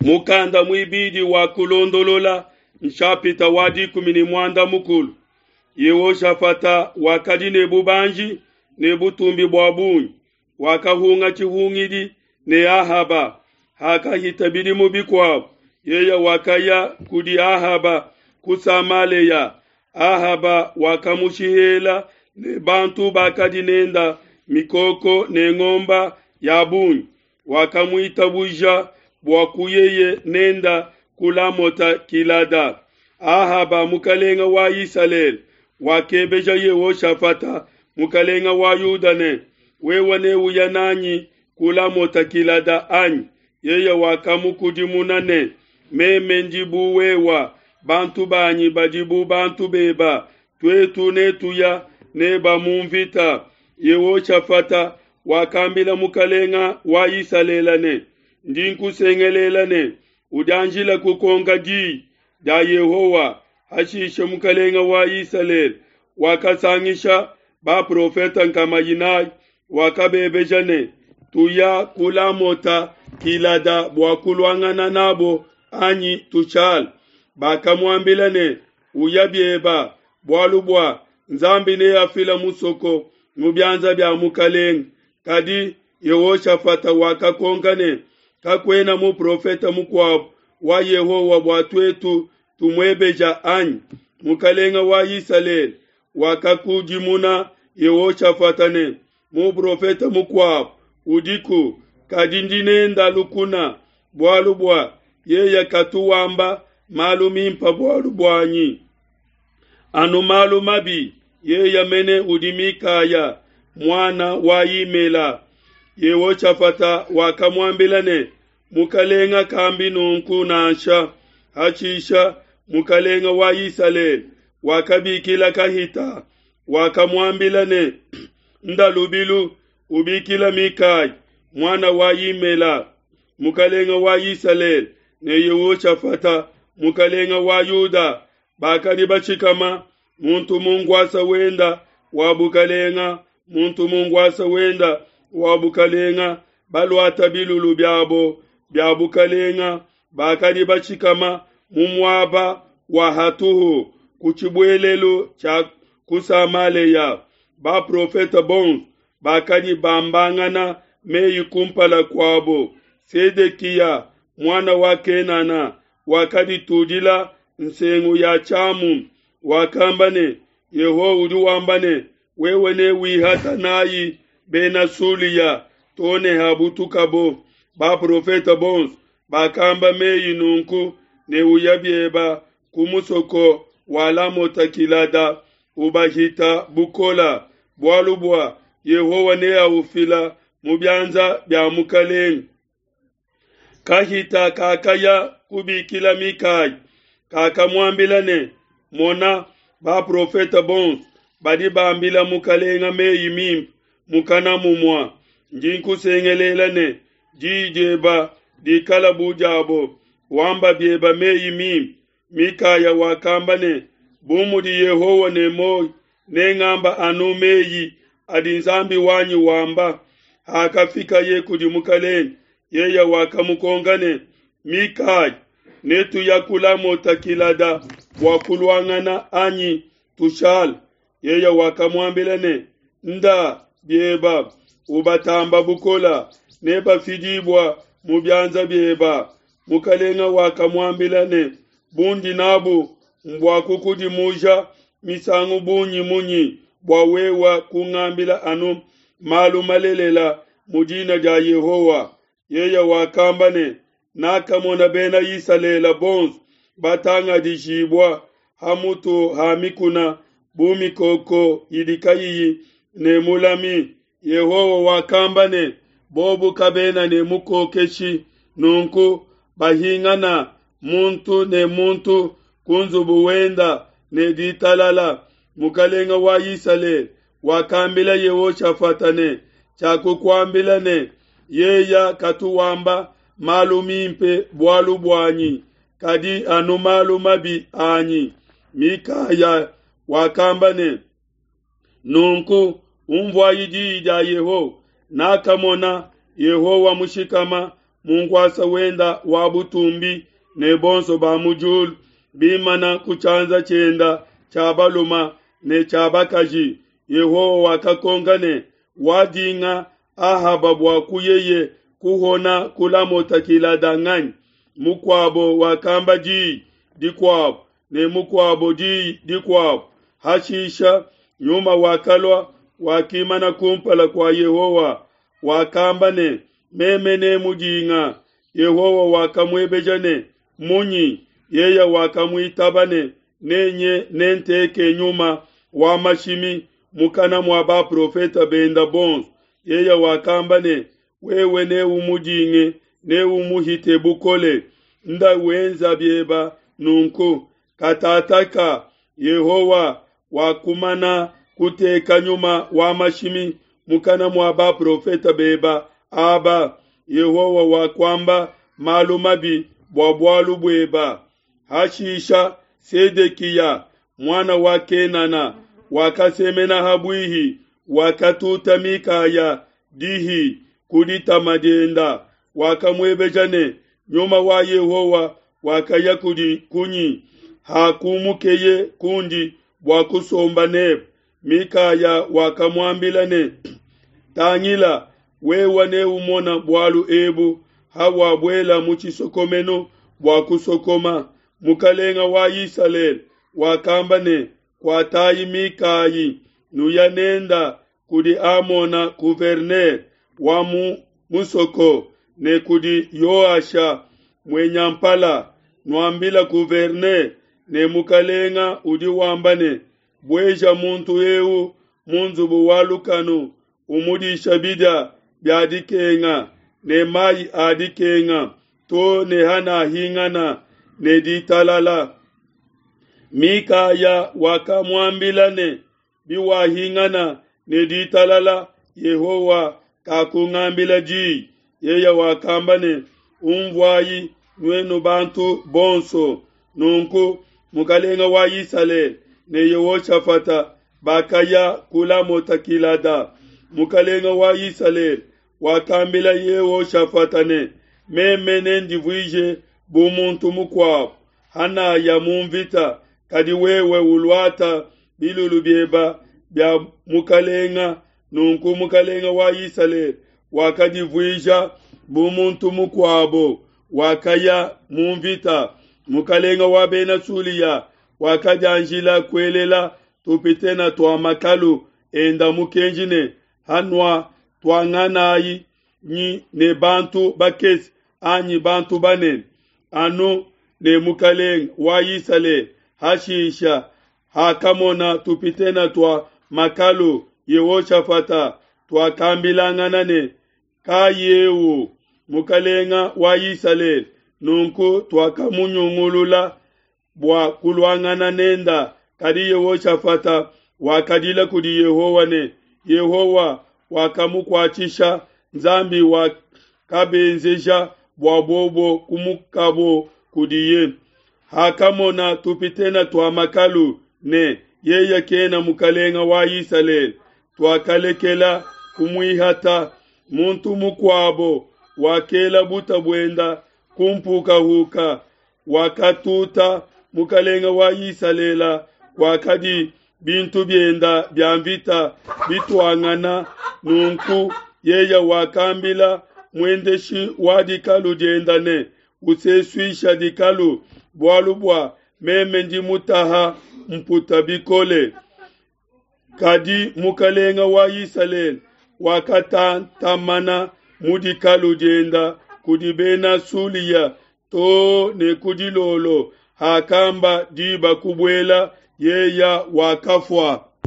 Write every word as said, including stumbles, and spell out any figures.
Mukanda muibidi wa Kulondolola nshapita wa dikumi ne muanda mukulu. Yehoshafata wakadi ne bubanji ne butumbi bua bungi, wakahunga tshihungidi ne Ahaba. Hakahita bidimu bikuabo, yeye wakaya kudi Ahaba ku Samalea. Ahaba wakamushihela ne bantu bakadi nenda mikoko ne ngomba ya bungi. Wakamuitabuja bua kuyeye nenda ku Lamota Gilada. Ahaba mukalenga wa Isalele wakebeja Yehoshafata mukalenga wa Yuda ne, wewe neuya nanyi ku Lamota Gilada anyi? Yeye wakamukudimuna ne, meme ndi bu wewa, bantu banyi badi bu bantu beba, tuetu netuya neba mu mvita. Yehoshafata wakambila mukalenga wa Isalele ne, ndi nkusengelela ne, udianjila kukonka diyi dia Yehowa. Hashishe mukalenga wa Isalele wakasangisha baprofeta nkama inayi, wakabebeja ne, tuya ku Lamota Gilada bua kuluangana nabo anyi tushala? Bakamuambila ne, uya bieba, bualu bua Nzambi neafila musoko mu bianza bia mukalenga. Kadi Yehoshafata wakakonka ne, kakuena muprofeta mukuabu wa Yehowa bua tuetu tumuebeja anyi? Mukalenga wa Isalele wakakudimuna Yehoshafata ne, muprofeta mukuabu udiku, kadi ndi nenda lukuna, bualu bua yeye katu wamba malu mimpa bualu buanyi, anu malu mabi. Yeye mene udi Mikaya muana wa Imela. Yehoshafata wakamuambila ne, mukalenga kambi nunku nansha. Hashisha mukalenga wa Isalele wakabikila kahita, wakamuambila ne, nda lubilu ubikila Mikaya muana wa Imela. Mukalenga wa Isalele ne Yehoshafata mukalenga wa Yuda bakadi bashikama muntu mu nkuasa wenda wa bukalenga, muntu mu nkuasa wenda wa bukalenga, baluata bilulu biabo bia bukalenga, bakadi bashikama mu muaba wa hatuhu ku tshibuelelu tshia ku Samalea. Baprofeta bonso bakadi bambangana meyi kumpala kuabo. Sedekiya muana wa Kenana wakaditudila nsengu ya tshiamu, wakamba ne, Yehowa udi wamba ne, wewe ne wihata nayi bena Sulia to ne habutukabo. Baprofeta bonso bakamba meyi nunku ne uya bieba ku musoko wa Lamota Gilada, ubahita bukola, bualu bua Yehowa neaufila mu bianza bia mukalenga. Kahita kakaya kubikila Mikaya, kakamuambila ne, mona, baprofeta bonso badi bambila mukalenga meyi mimpe mukana mumua. Ndi nkusengelela ne, diyi dieba dikala bu diabo, wamba bieba meyi mimpe. Mikaya wakamba ne, bu mudi Yehowa ne muoyo, nengamba anu meyi adi Nzambi wanyi wamba. Hakafikaye kudi mukalenga, yeye wakamukonka ne, Mikaya, netuya ku Lamota Gilada bua kuluangana anyi tushala? Yeye wakamuambila ne, nda bieba, ubatamba bukola, nebafidibua mu bianza bieba. Mukalenga wakamuambila ne, bundi nabu mbua kukudimuja misangu bungi munyi bua wewa kungambila anu malu malelela mu dina dia Yehowa? Yeye wakamba ne, nakamona bena Isalele bonso batangadijibua ha mutu ha mikuna bu mikoko idi kayiyi ne mulami. Yehowa wakamba ne, bobu kabena ne mukokeshi, nunku bahingana muntu ne muntu ku nzubu wenda ne ditalala. Mukalenga wa Isalele wakambila Yehoshafata ne, tshiakukuambila ne, yeya katu wamba malu mimpe bualu buanyi, kadi anu malu mabi anyi. Mikaya wakamba ne, nunku umvuayi diyi dia Yehowa. Nakamona Yehowa mushikama mu nkuasa wenda wa butumbi ne bonso ba mu diulu bimana ku tshianza tshienda tshia baluma ne tshia bakaji. Yehowa wakakonka ne, wadinga Ahaba bua kuyeye kuhona ku Lamota Gilada nganyi? Mukuabo wakamba diyi dikuabo ne mukuabo diyi dikuabo. Hashisha Nyuma wakalua, wakimana kumpala kua Yehowa, wakamba ne, Meme nemudinga. Yehowa wakamuebeja ne, Munyi? Yeye wakamuitaba ne, Nenye nenteke nyuma wa mashimi mukana mua baprofete benda bonso. Yeye wakamba ne, Wewe neumudinge, neumuhite bukole. Nda wenza bieba nunku. Katataka Yehowa wakumana kuteka nyuma wa mashimi mukana mua baprofete beba aba. Yehowa wakuamba malu mabi bua bualu bueba. Hashisha Sedekiya, muana wa Kenana, wakasemena ha buihi, wakatuta Mikaya dihi ku ditama dienda, wakamuebeja ne, Nyuma wa Yehowa wakaya kudi kunyi hakumukeye kundi bua kusomba nebe? Mikaya wakamuambila ne, Tangila, wewe neumona bualu ebu hawabuela mu tshisokomenu bua kusokoma. Mukalenga wa Isalele wakamba ne, Kuatayi Mikayi, nuya nenda kudi Amona gouverneur wa mu musoko, ne kudi Yoasha muenyampala, nuambila gouverneur ne mukalenga udi wamba ne, bueja muntu eu mu nzubu wa lukanu, umudisha bidia bia dikenga ne mayi a dikenga to ne hanahingana ne ditalala. Mikaya wakamuambila ne, biwahingana ne ditalala, Yehowa kakungambila diyi. Yeye wakamba ne, umvuayi nuenu bantu bonso. Nunku mukalenga wa Isalele ne Yehoshafata bakaya ku Lamota Gilada. Mukalenga wa Isalele wakambila Yehoshafata ne, meme nendivuije bu muntu mukuabo hanaya mu mvita, kadi wewe uluata bilulu bieba bia mukalenga. Nunku mukalenga wa Isalele wakadivuija bu muntu mukuabo, wakaya mu mvita. Mukalenga wa Bena Sulia wakadianjila kuelela tupitena tua makalu enda mukenji ne, hanua tuanganayi nyi ne bantu bakese anyi bantu banene, anu ne mukalenga wa Isalele. Hashisha hakamona tupitena tua makalu Yehoshafata, tuakambilangana ne, kayeu mukalenga wa Isalele. Nunku tuakamunyungulula bua kuluangana nenda. Kadi Yehoshafata wakadila kudi Yehowa ne, Yehowa wakamukuatshisha, Nzambi wakabenzeja bua bobo kumukabo kudiye. Hakamona tupitena tua makalu ne yeye kena mukalenga wa Isalele, tuakalekela kumuihata. Muntu mukuabo wakela buta buenda kumpukahuka, wakatuta mukalenga wa Isalele kwakadi bintu bienda bia mvita bituangana. Nunku yeye wakambila muendeshi wa dikalu dienda ne, usesuisha dikalu, bualu bua meme ndi mutaha mputa bikole. Kadi mukalenga wa Isalele wakatantamana mu dikalu dienda kudi Bena Sulia to ne ku dilolo. Hakamba diba kubuela, yeya wakafua.